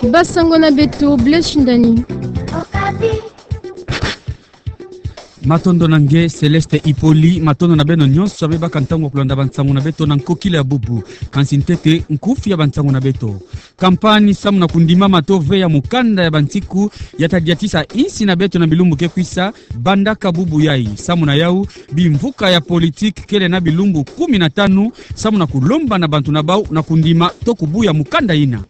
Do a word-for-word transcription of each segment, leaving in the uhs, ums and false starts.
Basango na beto, Blaise Ndani. Matondo na nge, Céleste Hippolyte. Matondo na beno nyonso abe baka ntangu ya kolanda bansangu na beto na nkokila ya bubu. Kansi ntete nkufi ya bansangu na beto. Kampani samu na kondimama to veya mokanda ya bansiku ya tadiatisa insi na beto na bilumbu ke kwisa bandaka bubu yai. Samu na yau, bimvuka ya politiki kele na bilumbu kumi na tanu samu na kolomba na bantu na bau na kondima to kobuya mokanda ina.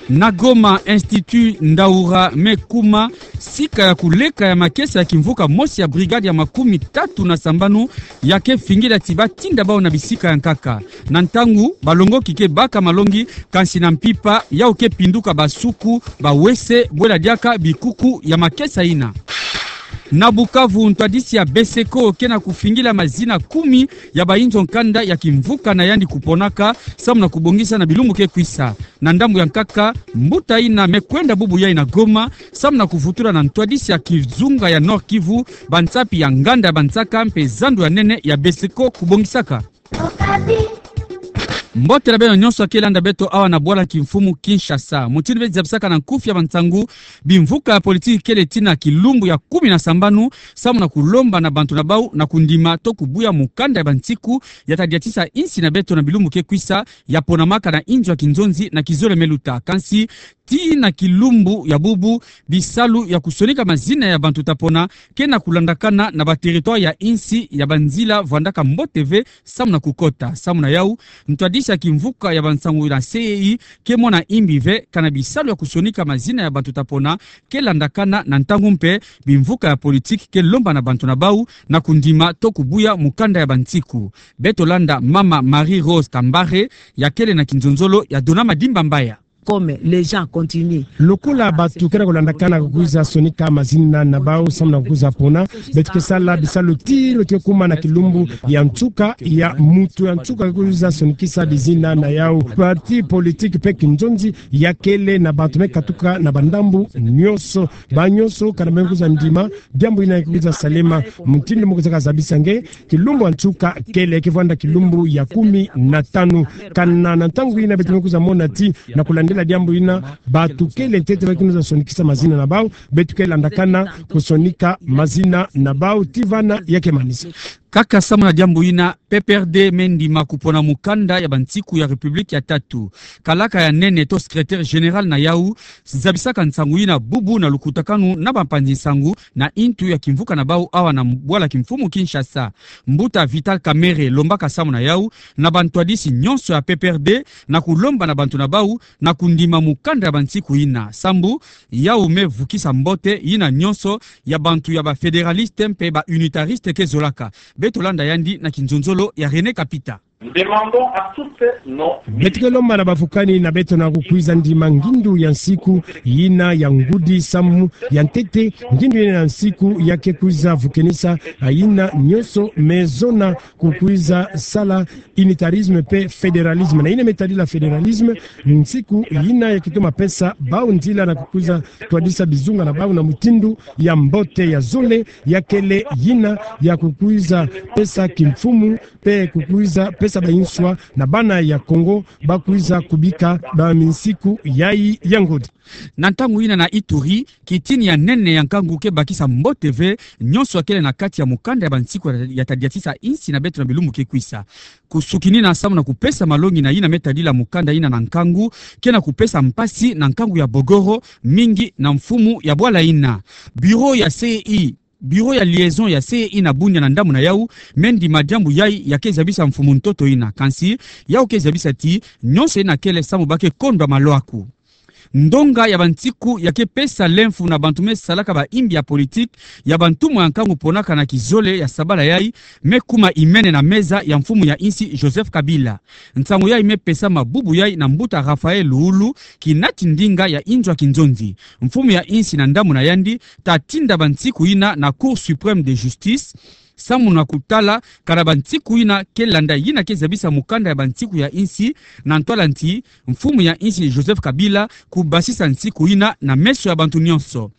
Na Goma, Institut Ndaura me kuma sika ya koleka ya makesa ya kimvuka mosi ya brigade ya makumi tatu na sambanu ya ke fingila ti batinda bau na bisika ya nkaka. Na ntangu balongoki ke baka malongi, kansi na mpimpa yau ke pinduka basuku, bawese, bwela diaka bikuku ya makesa ina. Na Bukavu, ntwadisi ya Beseko ke na kofingila mazina kumi ya bainzo nkanda ya kimvuka na yandi koponaka samu na kobongisa na bilumbu ke kwisa. Na ndambu ya nkaka, mbuta ina me kwenda bubu yai na Goma samu na kovutula na ntwadisi ya kizunga ya Nord-Kivu bansapi ya nganda ya bansaka mpe zandu ya nene ya Beseko kobongisaka. Mbote na beno nyonso ya ke landa beto awa na bwala kimfumu Kinshasa. Mutindu beno zabisaka na nkufi ya bansangu, bimvuka ya politiki kele tii na kilumbu ya kumi na sambanu samu na kolomba na bantu na bau na kondima to kobuya mokanda ya bansiku ya tadiatisa insi na beto na bilumbu ke kwisa, ya ponamaka na inzo ya kinzonzi na kizole me luta. Kansi tii na kilumbu ya bubu, bisalu ya kosonika mazina ya bantu ta pona ke na kolandakana na bateritware ya insi ya banzila vwandaka mbote ve samu na kokota. Samu na yau, ntwadisi ya kimvuka ya bansangu na C E I ke mona imbi ve kana bisalu ya kosonika mazina ya bantu ta pona ke landakana na ntangu mpe bimvuka ya politiki ke lomba na bantu na bau na kondima to kobuya mokanda ya bansiku. Beto landa mama Marie-Rose Kambare, ya kele na kinzonzolo ya Dona Madimba Mbaya. Comme les gens continuent. Lokola bato ke na kolandakana kokwiza sonika mazina na bau samu na kokwiza pona, beto ke sala bisalu ti beto ke kuma na kilumbu ya nsuka, ya mutu ya nsuka ke kwiza sonikisa bizina na yau. Parti politiki mpe kinzonzi ya kele na bato me katuka na bandambu nyonso. Banyonso kana me kwiza ndima diambu ina ke kwiza salema. Mutindu me kwiza kazabisa nge, kilumbu ya nsuka kele ke vwanda kilumbu ya kumi na tanu. Kana na ntangu ina beto me kwiza mona ti na kolandela diambu ina, bato kele ntete ba ke kwiza sonikisa mazina na bau, beto ke landakana kosonika mazina na bau ti vana ya ke manisa. Kaka samu na diambu ina, P P R D me ndima kopona mokanda ya bansiku ya République ya tatu. Kalaka ya nene to secrétaire général na yau zabisaka nsangu ina bubu na lukutakanu na bampanzi nsangu na intu ya kimvuka na bau awa na bwala kimfumu Kinshasa. Mbuta Vital Kamerhe lombaka samu na yau na bantwadisi nyonso ya P P R D na kolomba na bantu na bau na kondima mokanda ya bansiku ina. Sambu yau me vukisa mbote ina nyonso ya bantu ya ba fédéralistes mpe ba unitaristes ke zolaka. Beto landa yandi na kinzonzolo ya René Kapita. Nous demandons à toutes nos... Beto ke lomba na bavukani na beto na kokwiza ndima ngindu ya nsiku ina ya ngudi samu ya ntete, ngindu ina ya nsiku ya ke kwiza vukenisa ina nyonso me zona kokwiza sala unitarisme mpe fédéralisme. Na ina me tadila fédéralisme, nsiku ina ya ke toma pesa bau nzila na kokwiza twadisa bizunga na bau na mutindu ya mbote, ya zole, ya kele ina ya kokwiza pesa kimfumu mpe kokwiza pesa bainswa na bana ya Kongo ba kwiza kubika ba minsiku yai ya ngudi. Na ntangu ina na Ituri, kitini ya nene ya nkangu ke bakisa mbote ve nyonso ya kele na kati ya mokanda ya bansiku ya, ya tadiatisa insi na beto na bilumbu ke kwisa. Kosukinina samu na kopesa malongi na ina me tadila mokanda ina na nkangu, ke na kopesa mpasi na nkangu ya Bogoro, mingi na mfumu ya bwala ina. Bureau ya C E I, bureau ya liaison ya C E I na Bunia na ndambu na yau, me ndima diambu yai ya ke zabisa mfumu ntoto ina. Kansi yau ke zabisa ti nyonso ina kele samu ba ke kondwa malwaku. Ndonga ya bansiku ya ke pesa lemfu na bantu me salaka baimbi ya politiki ya bantumwa ya nkangu ponaka na kizole ya sabala yai, me kuma imene na meza ya mfumu ya insi Joseph Kabila. Nsangu yai me pesama bubu yai na mbuta Raphaël Luwulu, kinati ndinga ya inzo ya kinzonzi. Mfumu ya insi na ndambu na yandi ta tinda bansiku ina na Cour suprême de justice, samu na kotala kana bansiku ina ke landa ina ke zabisa mokanda ya bansiku ya insi, na ntwala nti mfumu ya insi Joseph Kabila kobasisa nsiku ina na meso ya bantu nyonso.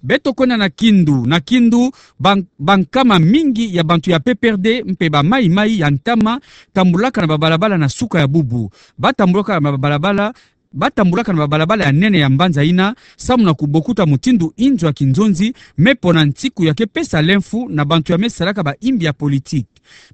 Beto kwenda na Kindu. Na Kindu, ban-, bankama mingi ya bantu ya P P R D mpe ba maimai ya ntama tambolaka na babalabala na suka ya bubu. Ba tambolaka na babalabala Ba tambulaka na babalabala ya nene ya mbanza yina, samu na kubokuta mutindu inzo ya kinzonzi me pona nsiku ya ke pesa lemfu na bantu ya me salaka bayimbi ya politiki.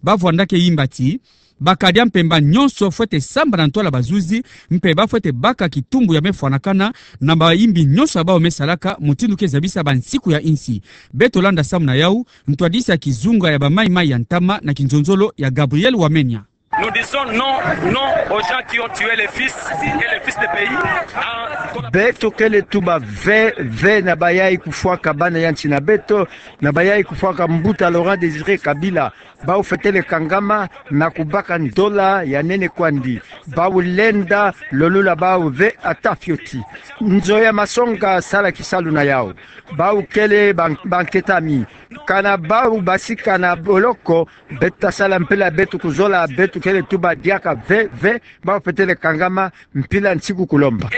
Ba vwandaka yimba ti, bakadia mpemba nyonso fwete sambana ntwala bazuzi, mpe ba fwete baka kitumbu ya me fwanakana na bayimbi nyonso ya bawu me salaka, mutindu ke zabisa bansiku ya insi. Beto landa samu na yawu, ntwadisi ya kizunga ya ba Maï-Maï ya ntama na kinzonzolo ya Gabriel Wamenya. Nous disons non, non aux gens qui ont tué les fils et les fils de pays. Beto kele tuba ve, ve na bayayi kufwaka bana ya nsi na beto, na bayayi kufwaka mbuta Laurent Désiré Kabila. Bawu fwetele kangama na kubaka ndola ya nene kwandi. Bawu lenda lolula bawu ve ata fioti. Nzo ya masonga sala kisalu na yawu. Bawu kele ban-, banketami. Kana bawu basika na boloko, beto ta sala mpila beto kuzola, beto kele tuba diaka ve, ve, bawu fwetele kangama mpila nsiku kulomba.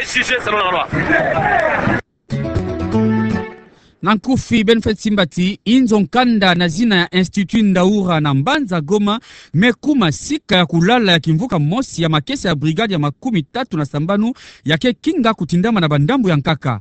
Na nkufi, beno fwete simba ti inzo nkanda na zina ya Institut Ndaura na mbanza Goma me kuma sika ya kulala ya kimvuka mosi ya makesa ya brigade ya makumi tatu na sambanu ya ke kinga kutindama na bandambu ya nkaka.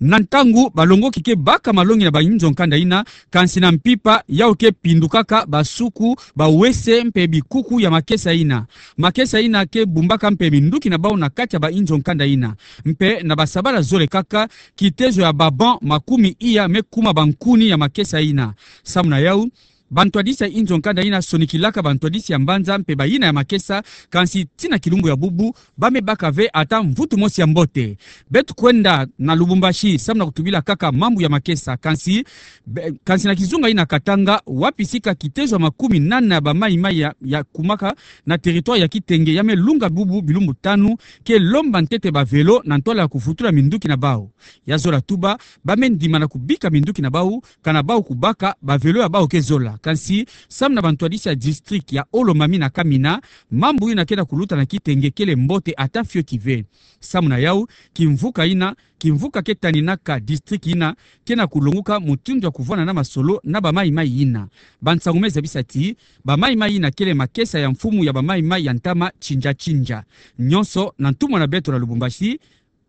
Na ntangu balongoki ke baka malongi na bainzo nkanda yina, kansi na mpimpa yawu ke pindukaka basuku, bawese mpe bikuku ya makesa yina. Makesa yina ke bumbaka mpe minduki na bawu na kati ya bainzo nkanda yina. Mpe na basabala zole kaka, kitezo ya ba banc makumi iya me kuma bankuni ya makesa yina. Samu na yawu, bantwadisi ya inzo nkanda yina sonikilaka bantwadisi ya mbanza mpe bayina ya makesa, kansi tii na kilumbu ya bubu, ba me baka ve ata mvutu mosi ya mbote. Beto kwenda na Lubumbashi samu na kutubila kaka mambu ya makesa, kansi, be-, kansi na kizunga yina Katanga, wapi sika kitezo ya makumi nana ya ba Maï-Maï ya, ya kumaka na territoire ya Kitenge ya me lunga bubu bilumbu tanu, ke lomba ntete ba vélo na ntwala ya kuvutula minduki na bawu. Ya zola tuba, ba me ndima na kubika minduki na bawu, kana bawu kubaka ba vélo ya bawu ke zola. Kansi, samu na bantwadisi ya district ya Olomami na Kamina, mambu yina ke na kuluta na Kitenge kele mbote ata fioti ve. Samu na yawu, kimvuka yina, kimvuka ke taninaka district yina, ke na kulonguka mutindu ya kuvwanda na masolo na ba Maï-Maï yina. Bansangu me zabisa ti, ba Maï-Maï yina kele makesa ya mfumu ya ba Maï-Maï ya ntama Tsinja Tsinja. Nyonso na ntumwa na beto na Lubumbashi,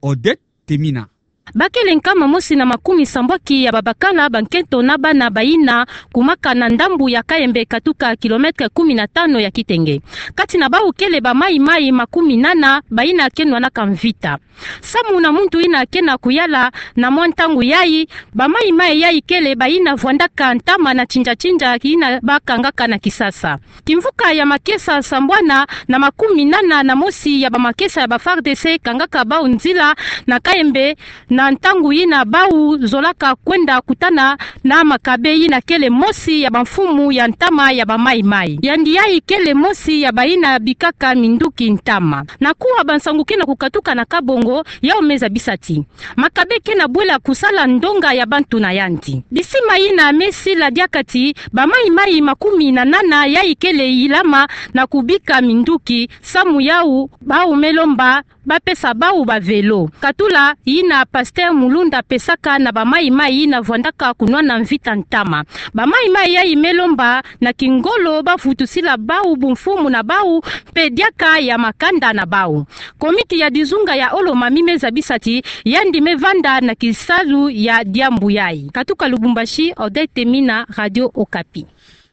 Odette Temina. Ba kele nkama mosi na makumi sambwaki ya babakala, bankento na bana bayina kumaka na ndambu ya Kayembe katuka kilomètre kumi na tanu ya Kitenge. Kati na bawu kele ba Maï-Maï makumi nana bayina ke nwanaka mvita. Samu na muntu yina ke na kuyala na mwa ntangu yayi, ba Maï-Maï yayi kele bayina vwandaka ntama na Tsinja Tsinja yina ba kangaka na Kisasa. Kimvuka ya makesa sambwana na makumi nana na mosi ya bamakesa ya ba FARDC kangaka bawu nzila na Kayembe, na ntangu yina bawu zolaka kwenda kutana na Makabe yina kele mosi ya bamfumu ya ntama ya ba Maï-Maï. Yandi yayi kele mosi ya bayina bikaka minduki ntama. Na kuwa bansangu ke na kukatuka na Kabongo, yawu me zabisa ti Makabe ke na bwela kusala ndonga ya bantu na yandi. Bisima yina me sila diaka ti ba Maï-Maï makumi na nana yayi kele yilama na kubika minduki, samu yawu bawu me lomba ba pesa bawu ba vélo. Katula yina pasteur Mulunda apesaka na ba Maï-Maï yina vwandaka kunwana mvita ntama. Ba Maï-Maï yayi me lomba na kingolo ba vutusila bawu bumfumu na bawu mpe diaka ya makanda na bawu. Komite ya dizunga ya Olomami me zabisa ti yandi me vanda na kisalu ya diambu yayi. Katuka Lubumbashi, Odette Temina, Radio Okapi.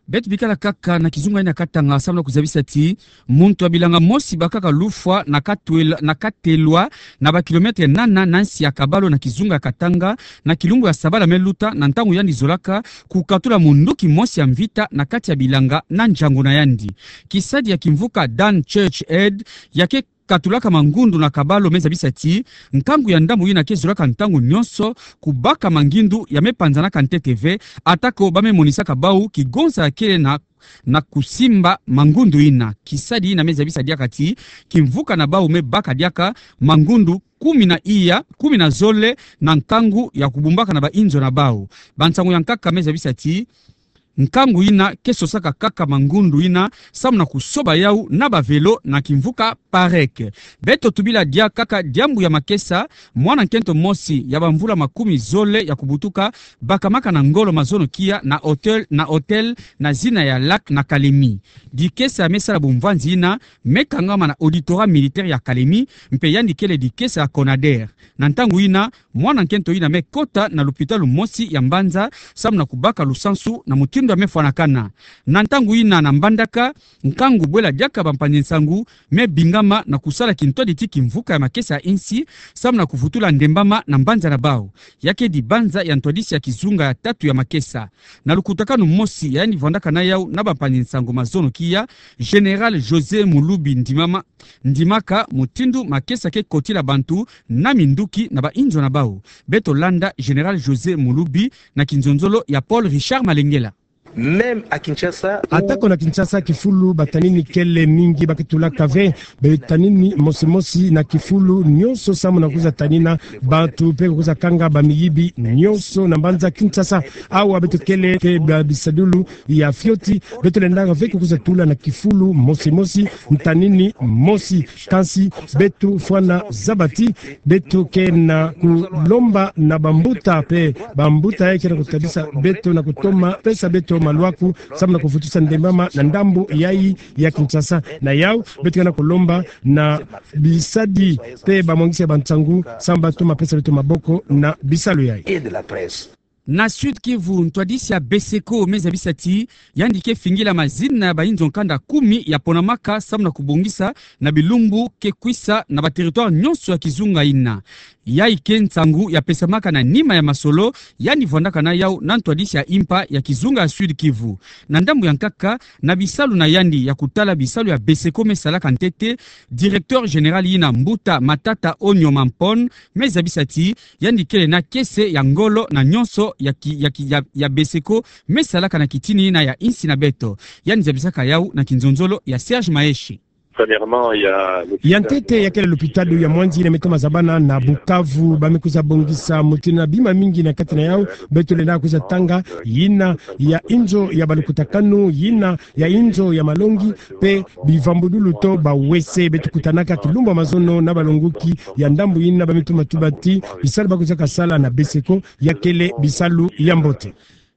Beto bikala kaka na kizunga yina Katanga, samu na kuzabisa ti muntu ya bilanga mosi bakaka lufwa na katwela-, na katelwa na ba kilomètre nana na nsi ya Kabalo na kizunga ya Katanga, na kilumbu ya sabala me luta, na ntangu yandi zolaka kukatula munduki mosi ya mvita na kati ya bilanga na njango na yandi. Kisadi ya kimvuka Dan Church Aid ya ke katulaka mangundu na Kabalo me zabisa ti nkangu ya ndambu yina ke zolaka ntangu nyonso kubaka mangindu ya me panzanaka ntete ve, atako ba me monisaka bawu kigonza ya kele na, na kusimba mangundu yina. Kisadi yina me zabisa diaka ti kimvuka na bawu me baka diaka mangundu kumi na iya, kumi na zole na nkangu ya kubumbaka na bainzo na bawu. Bansangu ya nkaka me zabisa ti nkangu ina ke sosaka kaka mangundu ina, samu na kusoba yau na ba vélo na kimvuka Parec. Beto tubila diaka kaka diambu ya makesa, mwana nkento mosi ya bamvula makumi zole ya kubutuka, bakamaka na ngolo mazono kia na hôtel, na hôtel na zina ya Lac na Kalemi. Dikesa me sala bumvwanzi ina, me kangama na auditorat militaire ya Kalemi, mpe yandi kele dikesa ya Conader. Na ntangu ina, mwana nkento ina me kota na lupitalu mosi ya mbanza, samu na kubaka lusansu na mutindu ya me fwanakana. Na ntangu ina na Mbandaka, nkangu bwela diaka bampangi nsangu, me bingama na kusala kintwadi ti kimvuka ya makesa ya insi, samu na kuvutula ndembama na mbanza na bau. Ya kedi banza ya ntwadisi ya kizunga ya tatu ya makesa. Na lukutakanu mosi ya yandi vwandaka na yau na bampangi nsangu mazono kia, Général José Mulubi ndimama, ndimaka mutindu makesa ke kotila bantu na minduki na ba inzo na bau. Beto landa Général José Mulubi na kinzonzolo ya Paul Richard Malengela. Même à Kinshasa, où... Atako na Kinshasa kifulu batanini kele mingi, ba ke tulaka ve, batanini mosi mosi na kifulu nyonso samu na kwiza tanina bantu mpe kwiza kanga bamiyibi nyonso na mbanza Kinshasa. Awa beto kele mpe ba bisadulu ya fioti, beto lendaka ve kwiza tula na kifulu mosi mosi, ntanini mosi. Kansi beto fwana zabati, beto ke na kulomba na bambuta mpe, bambuta ya ke na kutabisa beto na kutoma pesa beto malwaku, samu na kuvutusa ndembama na ndambu yayi ya Kinshasa. Na yau, beto ke na kulomba na bisadi mpe bamwangisi ya bansangu, samu ba toma pesa beto maboko na bisalu yayi. Et de la presse. Na Sud-Kivu, ntwadisi ya BESECO me zabisa ti yandi ke fingila mazina ya ba inzo nkanda kumi ya ponamaka samu na kubongisa na bilumbu ke kwisa na ba territoire nyonso ya kizunga ina. Yayi ke nsangu ya pesamaka na nima ya masolo yandi vwandaka na yau na ntwadisi ya impa ya kizunga ya Sud-Kivu. Na ndambu ya nkaka, na bisalu na yandi ya kutala bisalu ya BESECO me salaka ntete, directeur général ina, mbuta Matata Onyo Mampon, me zabisa ti yandi kele na kese ya ngolo na nyonso ya ki-, ya ki-, ya, ya BESECO me salaka na kitini ina ya insi na beto. Yandi zabisaka yau na kinzonzolo ya Serge Maeshe. Premièrement, il y a l'hôpital... Ya ntete, ya kele lupitalu ya mwanzi ina me toma zabana na Bukavu, ba me kwiza bongisa mutindu na bima mingi na kati na yau. Beto lenda kwiza tanga yina ya inzo ya balukutakanu, yina ya inzo ya malongi, mpe bivambudulu to ba WC. Beto kutanaka kilumbu ya mazono na balongoki ya ndambu yina, ba me toma tuba ti bisalu ba kwizaka sala na BESECO ya kele bisalu ya mbote.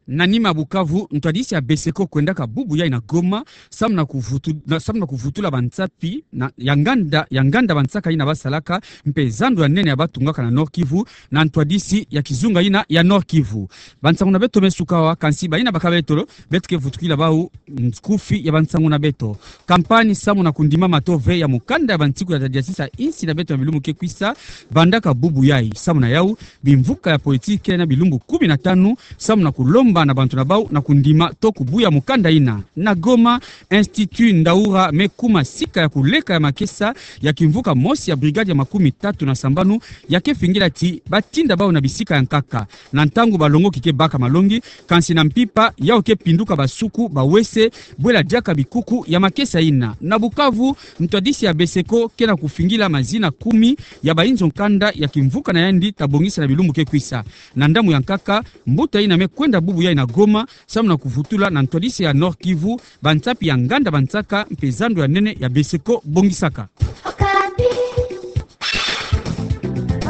Na nima Bukavu, ntwadisi ya BESECO kwendaka bubu yayi na Goma, samu na kuvutu-, na, samu na kuvutula bansapi na, ya nganda, ya nganda bansaka yina ba salaka, mpe zando ya nene ya ba tungaka na Nord-Kivu, na ntwadisi ya kizunga yina ya Nord-Kivu. Bansangu na beto me suka awa, kansi bayina baka beto lo, beto ke vutukila bau nkufi ya bansangu na beto. Kampanye samu na kundima mato ve ya mukanda ya bansiku ya tadiasisa insi na beto na bilumbu ke kwisa, bandaka bubu yayi. Samu na yau, bimvuka ya politiki na bilumbu kumi na tanu, samu na kulomba na bantu na bau na kundima to kubuya mukanda yina. Na Goma, Institut Ndaura me kuma sika ya kuleka ya makesa ya kimvuka mosi ya brigade ya makumi tatu na sambanu, ya ke fingila ti ba tinda bau na bisika ya nkaka. Na ntangu balongoki ke baka malongi, kansi na mpimpa, yau ke pinduka basuku, ba WC, bwela diaka bikuku ya makesa yina. Na Bukavu, ntwadisi ya BESECO ke na kufingila mazina kumi ya ba inzo nkanda ya kimvuka na yandi ta bongisa na bilumbu ke kwisa. Na ndambu ya nkaka, mbuta yina me kwenda bubu yayi na Goma, samu na kuvutula na ntwadisi ya Nord-Kivu bansapi ya nganda bansaka mpe zando ya nene ya BESECO bongisaka. Okapi.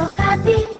Okapi.